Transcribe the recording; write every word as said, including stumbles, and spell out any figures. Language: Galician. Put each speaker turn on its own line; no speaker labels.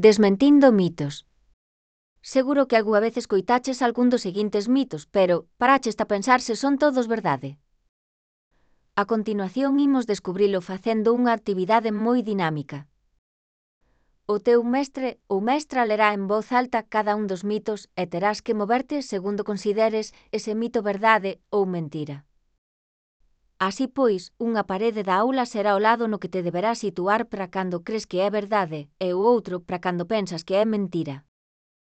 Desmentindo mitos. Seguro que algunha vez escoitaches algún dos seguintes mitos, pero paraches a pensar se son todos verdade. A continuación imos descubrilo facendo unha actividade moi dinámica. O teu mestre ou mestra lerá en voz alta cada un dos mitos e terás que moverte segundo consideres ese mito verdade ou mentira. Así pois, unha parede da aula será o lado no que te deberás situar para cando crees que é verdade e o outro para cando pensas que é mentira.